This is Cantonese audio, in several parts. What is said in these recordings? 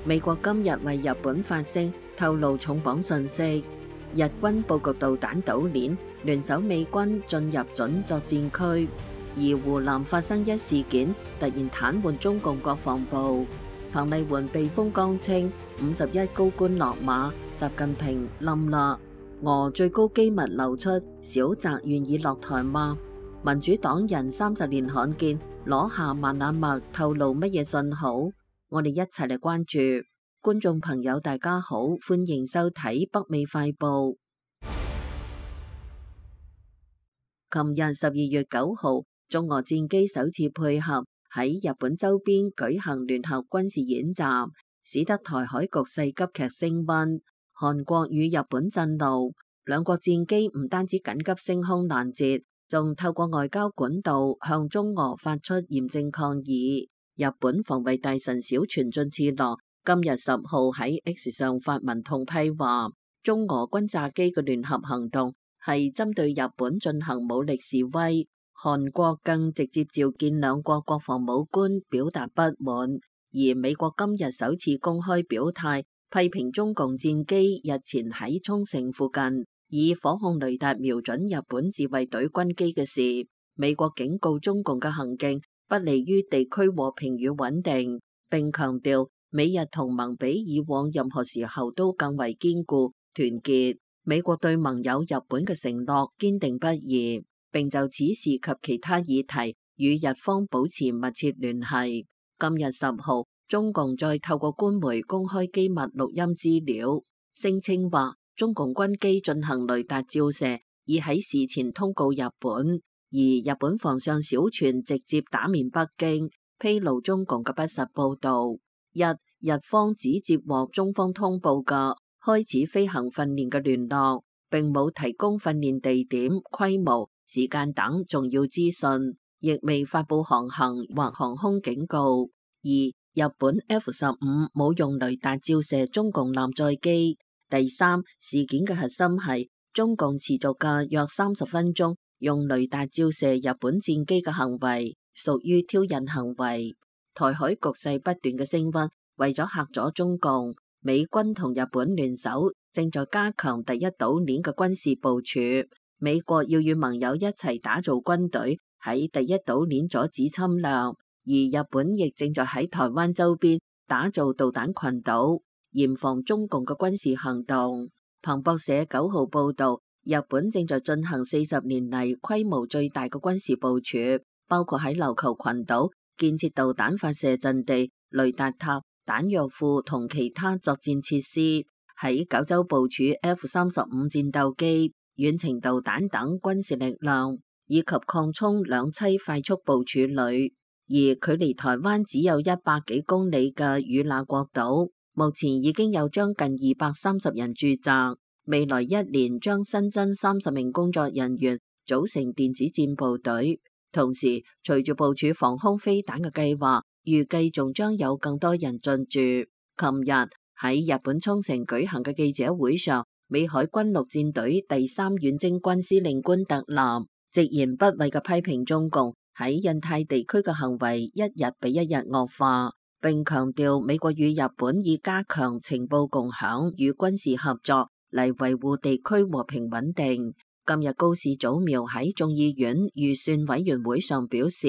美國今日為日本發聲，透露重磅信息。日軍佈局導彈島鏈，聯手美軍進入準作戰區。而湖南發生一事件，突然癱瘓中共國防部。彭麗媛避風江稱51高官落馬，習近平冧啦。俄最高機密流出，小澤願意落台嗎？民主黨人30年罕見攞下萬那麥，透露乜嘢信號？我哋一齊嚟關注。觀眾朋友大家好，歡迎收睇北美快報。琴日12月9號，中俄戰機首次配合喺日本周邊舉行聯合軍事演習，使得台海局勢急劇升溫。韓國與日本震怒，兩國戰機唔單止緊急升空攔截，仲透過外交管道向中俄發出嚴正抗議。日本防衛大臣小泉進次郎今日10號喺 X 上發文痛批話，中俄軍炸機嘅聯合行動係針對日本進行武力示威。韓國更直接召見兩國國防武官表達不滿，而美國今日首次公開表態，批評中共戰機日前喺沖繩附近以火控雷達瞄準日本自衛隊軍機嘅事。美國警告中共嘅行徑不利於地區和平與穩定，並強調美日同盟比以往任何時候都更為堅固團結。美國對盟友日本嘅承諾堅定不移，並就此事及其他議題與日方保持密切聯繫。今日10號，中共再透過官媒公開機密錄音資料，聲稱話中共軍機進行雷達照射，已喺事前通告日本。而日本防相小泉直接打面北京，披露中共嘅不實報導。日方只接獲中方通報嘅開始飛行訓練嘅聯絡，並冇提供訓練地點、規模、時間等重要資訊，亦未發佈航行或航空警告。而日本 F-15冇用雷達照射中共艦載機。第三，事件嘅核心係中共持續嘅約30分鐘用雷達照射日本戰機嘅行為，屬於挑釁行為。台海局勢不斷嘅升溫，為咗嚇阻中共，美軍同日本聯手正在加強第一島鏈嘅軍事部署。美國要與盟友一齊打造軍隊，喺第一島鏈阻止侵略，而日本亦正在喺台灣周邊打造導彈群島，嚴防中共嘅軍事行動。彭博社9號報道，日本正在進行40年嚟規模最大嘅軍事部署，包括喺琉球群島建設導彈發射陣地、雷達塔、彈藥庫同其他作戰設施，喺九州部署 F-35戰鬥機、遠程導彈等軍事力量，以及擴充兩棲快速部署旅。而距離台灣只有100幾公里嘅與那國島，目前已經有將近230人駐紮。未來1年將新增30名工作人員組成電子戰部隊，同時隨住部署防空飛彈嘅計劃，預計仲將有更多人進駐。琴日喺日本沖繩舉行嘅記者會上，美海軍陸戰隊第3遠征軍司令官特南直言不諱嘅批評中共喺印太地區嘅行為一日比一日惡化，並強調美國與日本以加強情報共享與軍事合作嚟維護地區和平穩定。今日高市早苗喺眾議院預算委員會上表示，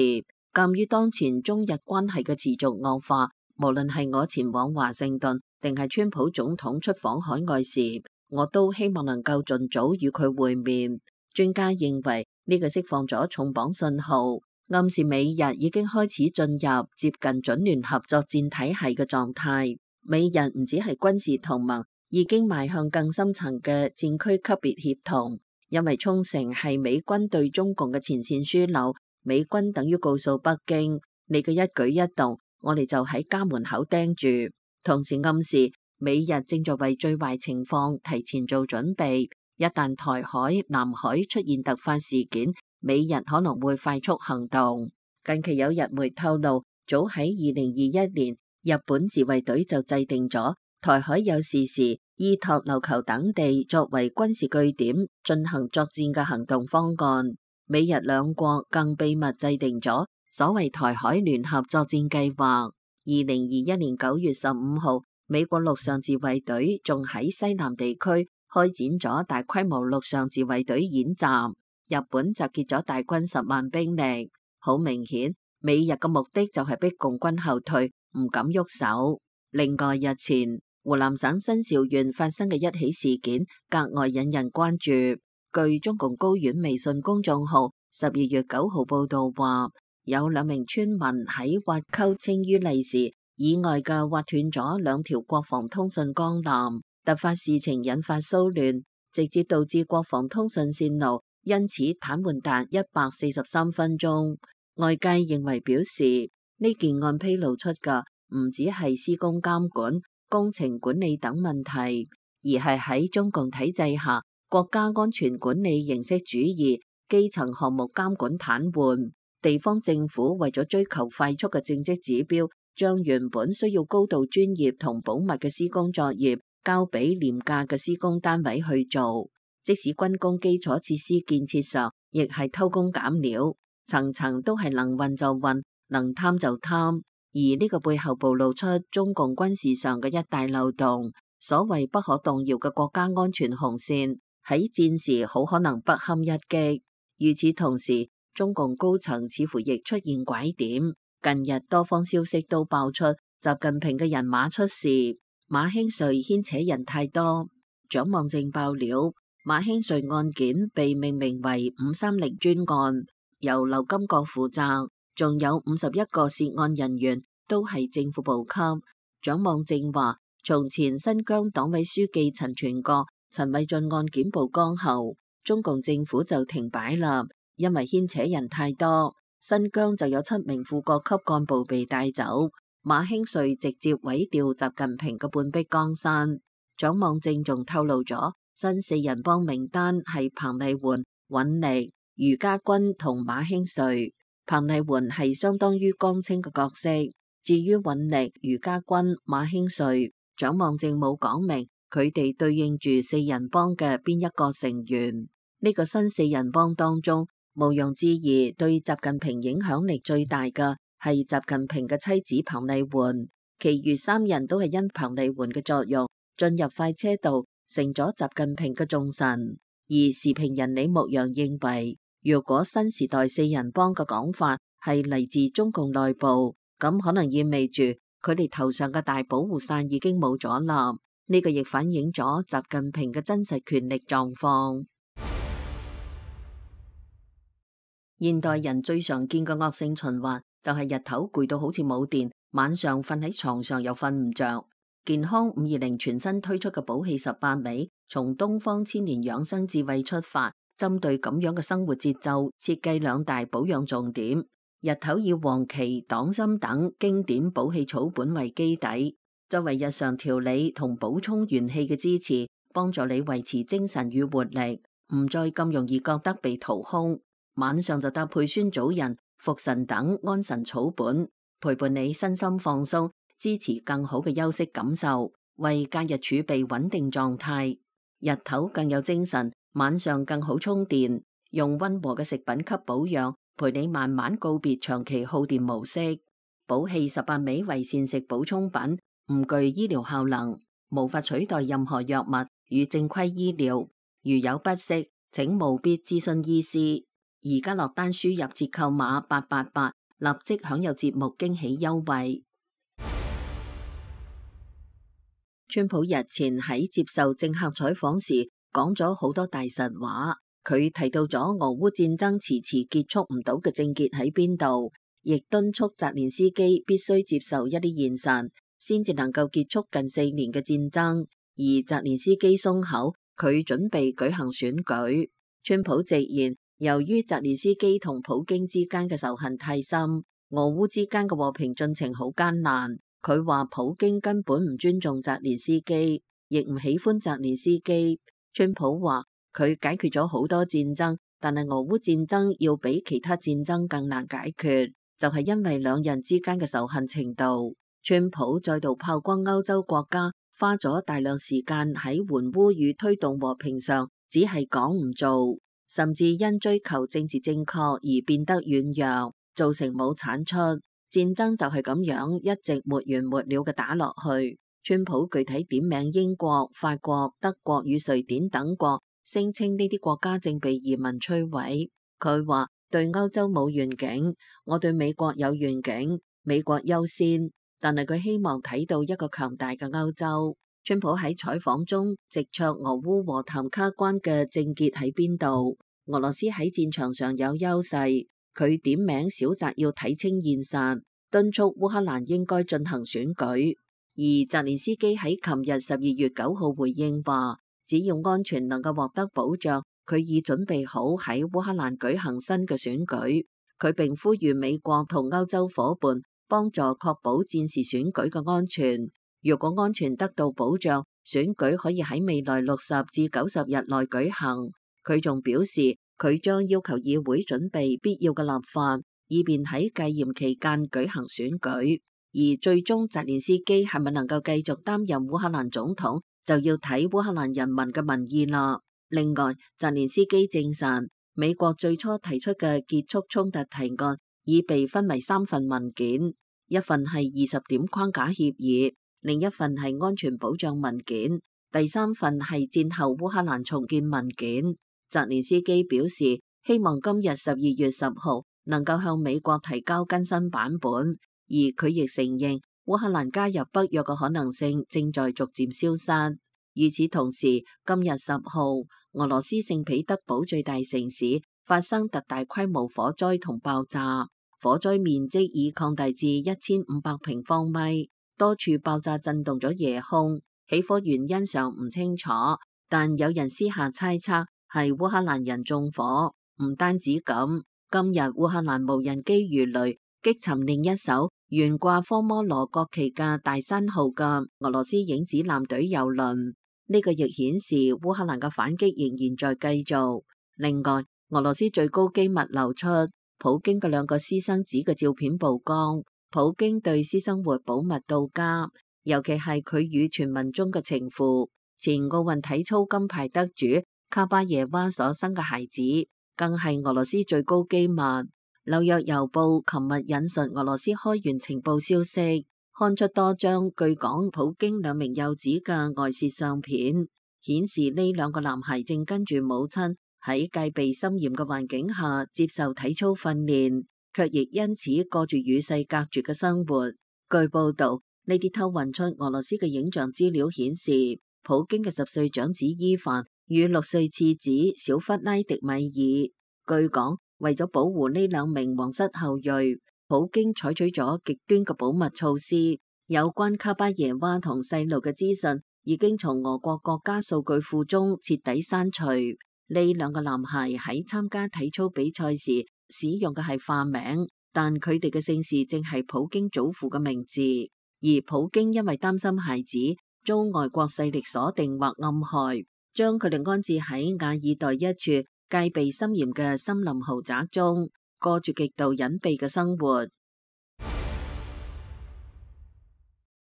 鑒於當前中日關係嘅持續惡化，無論係我前往華盛頓定係川普總統出訪海外時，我都希望能夠盡早與佢會面。專家認為呢個釋放咗重磅信號，暗示美日已經開始進入接近準聯合作戰體系嘅狀態。美日唔只係軍事同盟，已經邁向更深層嘅戰區級別協同，因為沖繩係美軍對中共嘅前線樞紐，美軍等於告訴北京，你嘅一舉一動，我哋就喺家門口盯住，同時暗示美日正在為最壞情況提前做準備，一旦台海、南海出現突發事件，美日可能會快速行動。近期有日媒透露，早喺2021年，日本自衛隊就制定咗台海有事時依託琉球等地作為軍事據點進行作戰嘅行動方案。美日兩國更秘密制定咗所謂台海聯合作戰計劃。2021年9月15號，美國陸上自衛隊仲喺西南地區開展咗大規模陸上自衛隊演習，日本集結咗大軍10萬兵力，好明顯美日嘅目的就係逼共軍後退，唔敢喐手。另外，日前湖南省新邵縣發生嘅一起事件格外引人關注。據中共高院微信公眾號12月9號報道話，有2名村民喺挖溝青於利時以外嘅挖斷咗2條國防通訊光纜，突發事情引發騷亂，直接導致國防通訊線路因此癱瘓達143分鐘。外界認為表示呢件案披露出嘅唔只係施工監管、工程管理等問題，而係喺中共體制下國家安全管理形式主義、基層項目監管癱瘓，地方政府為咗追求快速嘅政績指標，將原本需要高度專業同保密嘅施工作業交俾廉價嘅施工單位去做，即使軍工基礎設施建設上亦係偷工減料，層層都係能運就運，能貪就貪。而呢個背後暴露出中共軍事上嘅一大漏洞，所謂不可動搖嘅國家安全紅線，喺戰時好可能不堪一擊。與此同時，中共高層似乎亦出現拐點。近日多方消息都爆出習近平嘅人馬出事，馬興瑞牽扯人太多。蔣望正爆料，馬興瑞案件被命名為530專案，由劉金國負責，仲有51個涉案人員都係正副部級。蔣望正話，從前新疆黨委書記陳全國、陳偉俊案件曝光後，中共政府就停擺啦，因為牽扯人太多。新疆就有7名副國級幹部被帶走，馬興瑞直接委調習近平嘅半壁江山。蔣望正仲透露咗新4人幫名單係彭麗媛、尹力、余家軍同馬興瑞。彭麗媛係相當於江青嘅角色，至於尹力、余家軍、馬興瑞，蔣望正冇講明佢哋對應住4人幫嘅邊一個成員。呢個新4人幫當中，毋庸置疑，對習近平影響力最大嘅係習近平嘅妻子彭麗媛，其餘3人都係因彭麗媛嘅作用進入快車道，成咗習近平嘅重臣。而時評人李牧陽認為，如果新時代4人幫嘅講法係嚟自中共內部，咁可能意味住佢哋頭上嘅大保護傘已經冇咗啦。呢個亦反映咗習近平嘅真實權力狀況。現代人最常見嘅惡性循環就係日頭攰到好似冇電，晚上瞓喺床上又瞓唔着。健康520全新推出嘅寶氣18味，從東方千年養生智慧出發，針對咁樣嘅生活節奏，設計2大保養重點。日頭以黃芪、黨參等經典寶氣草本為基底，作為日常調理同補充元氣嘅支持，幫助你維持精神與活力，唔再咁容易覺得被掏空。晚上就搭配酸棗仁、茯神等安神草本，陪伴你身心放鬆，支持更好嘅休息感受，為假日儲備穩定狀態。日頭更有精神，晚上更好充電。用溫和嘅食品給保養，陪你慢慢告別長期耗電模式。寶氣18味為膳食補充品，唔具醫療效能，無法取代任何藥物與正規醫療。如有不適，請務必諮詢醫師。而家落單輸入折扣碼888，立即享有節目驚喜優惠。川普日前喺接受政客採訪時講咗好多大實話，佢提到咗俄烏戰爭遲遲結束唔到嘅症結喺邊度，亦敦促澤連斯基必須接受一啲現實，先至能夠結束近4年嘅戰爭。而澤連斯基鬆口，佢準備舉行選舉。川普直言，由於澤連斯基同普京之間嘅仇恨太深，俄烏之間嘅和平進程好艱難。佢話普京根本唔尊重澤連斯基，亦唔喜歡澤連斯基。川普話佢解決咗好多戰爭，但係俄烏戰爭要比其他戰爭更難解決，就係因為兩人之間嘅仇恨程度。川普再度炮轟歐洲國家，花咗大量時間喺援烏與推動和平上，只係講唔做。甚至因追求政治正確而變得軟弱，造成冇產出。戰爭就係咁樣一直沒完沒了嘅打落去。川普具體點名英國、法國、德國與瑞典等國，聲稱呢啲國家正被移民摧毀。佢話對歐洲冇願景，我對美國有願景，美國優先。但係佢希望睇到一個強大嘅歐洲。川普喺採訪中直戳俄烏和談卡關嘅症結喺邊度？俄羅斯喺戰場上有優勢，佢點名小澤要睇清現實，敦促烏克蘭應該進行選舉。而澤連斯基喺琴日12月9號回應話，只要安全能夠獲得保障，佢已準備好喺烏克蘭舉行新嘅選舉。佢並呼籲美國同歐洲夥伴幫助確保戰時選舉嘅安全。如果安全得到保障，選舉可以喺未來60至90日內舉行。佢仲表示，佢將要求議會準備必要嘅立法，以便喺戒嚴期間舉行選舉。而最終澤連斯基係咪能夠繼續擔任烏克蘭總統，就要睇烏克蘭人民嘅民意啦。另外，澤連斯基證實，美國最初提出嘅結束衝突提案已被分為3份文件，一份係20點框架協議，另一份係安全保障文件，第3份係戰後烏克蘭重建文件。澤連斯基表示，希望今日12月10號能夠向美國提交更新版本。而佢亦承認烏克蘭加入北約嘅可能性正在逐漸消失。與此同時，今日10號，俄羅斯聖彼得堡最大城市發生特大規模火災同爆炸，火災面積已擴大至1500平方米，多處爆炸震動咗夜空。起火原因尚唔清楚，但有人私下猜測係烏克蘭人縱火。唔單止咁，今日烏克蘭無人機魚雷擊沉另一艘懸掛科摩羅國旗嘅大山號嘅俄羅斯影子艦隊郵輪，呢個亦顯示烏克蘭嘅反擊仍然在繼續。另外，俄羅斯最高機密流出普京嘅2個私生子嘅照片曝光，普京對私生活保密到家，尤其係佢與傳聞中嘅情婦前奧運體操金牌得主卡巴耶娃所生嘅孩子，更係俄羅斯最高機密。紐約郵報琴日引述俄羅斯開源情報消息，刊出多張據講普京2名幼子嘅外泄相片，顯示呢2個男孩正跟住母親喺戒備森嚴嘅環境下接受體操訓練，卻亦因此過住與世隔絕嘅生活。據報道，呢啲偷運出俄羅斯嘅影像資料顯示，普京嘅10歲長子伊凡與6歲次子小弗拉迪米爾，據講，為咗保護呢2名皇室後裔，普京採取咗極端嘅保密措施。有關卡巴耶娃同細路嘅資訊已經從俄國國家數據庫中徹底刪除。呢2個男孩喺參加體操比賽時使用嘅係化名，但佢哋嘅姓氏正係普京祖父嘅名字。而普京因為擔心孩子遭外國勢力鎖定或暗害，將佢哋安置喺瓦爾代一處戒備森嚴嘅森林豪宅中，過住極度隱蔽嘅生活。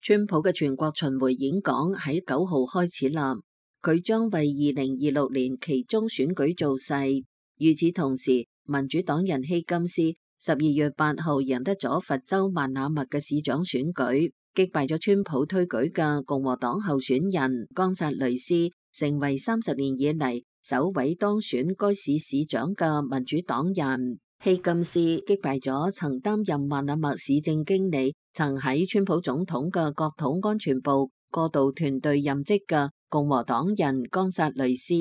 川普嘅全國巡迴演講喺9號開始啦，佢將為2026年期中選舉造勢。與此同時，民主黨人希金斯12月8號贏得咗佛州曼那密嘅市長選舉，擊敗咗川普推舉嘅共和黨候選人岡薩雷斯，成為30年以嚟首位當選該市市長嘅民主黨人。希金斯擊敗咗曾擔任曼那密市政經理、曾喺川普總統嘅國土安全部過渡團隊任職嘅共和黨人岡薩雷斯。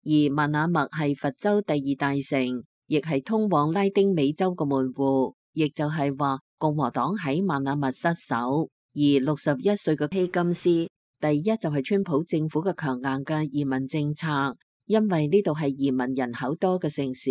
而曼那密係佛州第2大城，亦係通往拉丁美洲嘅門戶，亦就係話共和黨喺曼那密失守。而61歲嘅希金斯，第一就係川普政府嘅強硬嘅移民政策。因為呢度係移民人口多嘅城市，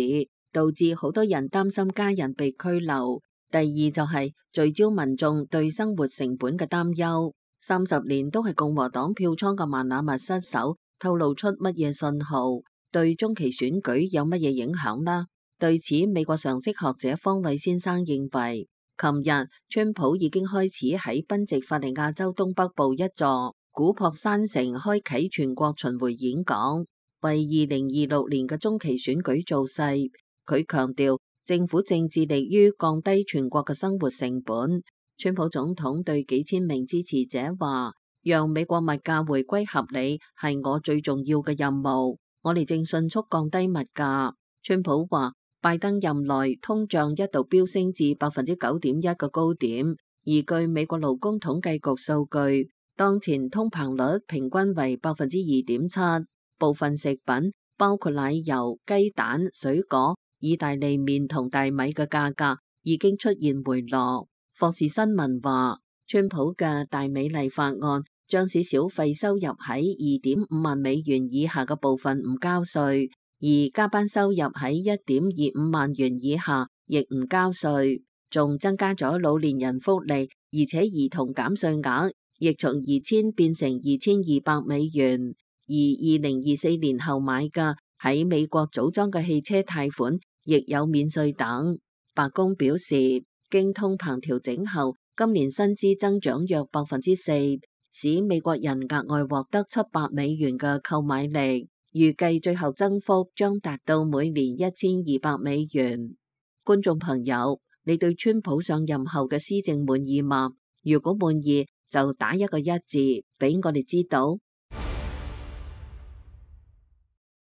導致好多人擔心家人被拘留。第二就係聚焦民眾對生活成本嘅擔憂。30年都係共和黨票倉嘅曼那密失守，透露出乜嘢信號？對中期選舉有乜嘢影響呢？對此，美國常識學者方偉先生認為，琴日川普已經開始喺賓夕法尼亞州東北部一座古樸山城開啟全國巡迴演講，為2026年嘅中期選舉造勢。佢強調政府正致力於降低全國嘅生活成本。川普總統對幾千名支持者話，讓美國物價回歸合理係我最重要嘅任務。我哋正迅速降低物價。川普話，拜登任內通脹一度飆升至9.1%嘅高點，而據美國勞工統計局數據，當前通膨率平均為2.7%。部分食品包括奶油、雞蛋、水果、意大利麵同大米嘅價格已經出現回落。霍士新聞話，川普嘅大美麗法案將使小費收入喺2.5萬美元以下嘅部分唔交稅，而加班收入喺1.25萬元以下亦唔交稅，仲增加咗老年人福利，而且兒童減稅額亦從2000變成2200美元。而2024年後買嘅喺美國組裝嘅汽車貸款亦有免稅等。白宮表示，經通膨調整後，今年薪資增長約4%，使美國人額外獲得700美元嘅購買力，預計最後增幅將達到每年1200美元。觀眾朋友，你對川普上任後嘅施政滿意嗎？如果滿意，就打一個1字俾我哋知道。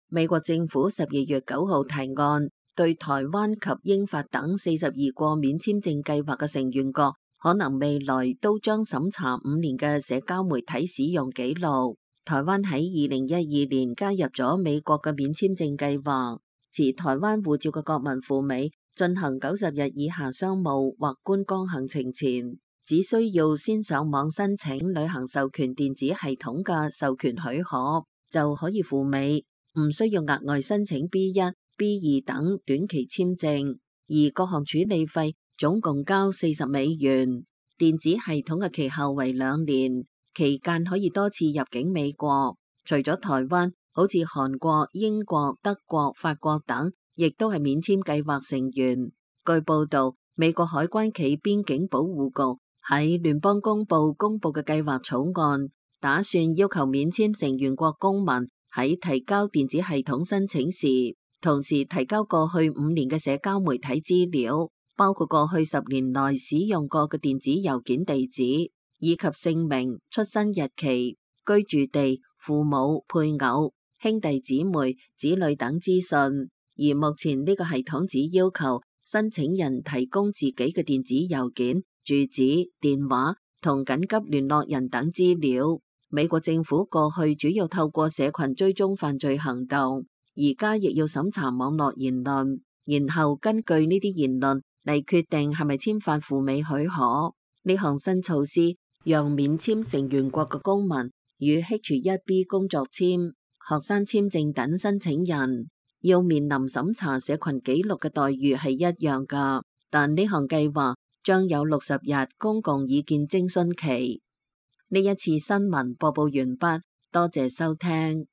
美國政府12月9號提案，對台灣及英法等42個免簽證計劃嘅成員國，可能未來都將審查5年嘅社交媒體使用記錄。台灣喺2012年加入咗美國嘅免簽證計劃，持台灣護照嘅國民赴美進行90日以下商務或觀光行程前，只需要先上網申請旅行授權電子系統嘅授權許可，就可以赴美。唔需要額外申請 B1、B2 等短期簽證，而各項處理費總共交40美元。電子系統嘅期效為2年，期間可以多次入境美國。除咗台灣，好似韓國、英國、德國、法國等，亦都係免簽計劃成員。據報道，美國海關暨邊境保護局喺聯邦公布嘅計劃草案，打算要求免簽成員國公民喺提交電子系統申請時，同時提交過去5年嘅社交媒體資料，包括過去10年內使用過嘅電子郵件地址，以及姓名、出生日期、居住地、父母、配偶、兄弟姊妹、子女等資訊。而目前呢個系統只要求申請人提供自己嘅電子郵件、住址、電話同緊急聯絡人等資料。美國政府過去主要透過社群追蹤犯罪行動，而家亦要審查網絡言論，然後根據呢啲言論嚟決定係咪簽發赴美許可。呢項新措施讓免簽成員國嘅公民與 H1B 工作簽、學生簽證等申請人要面臨審查社群記錄嘅待遇係一樣㗎，但呢項計劃將有60日公共意見徵詢期。呢一次新聞播報完畢，多謝收聽。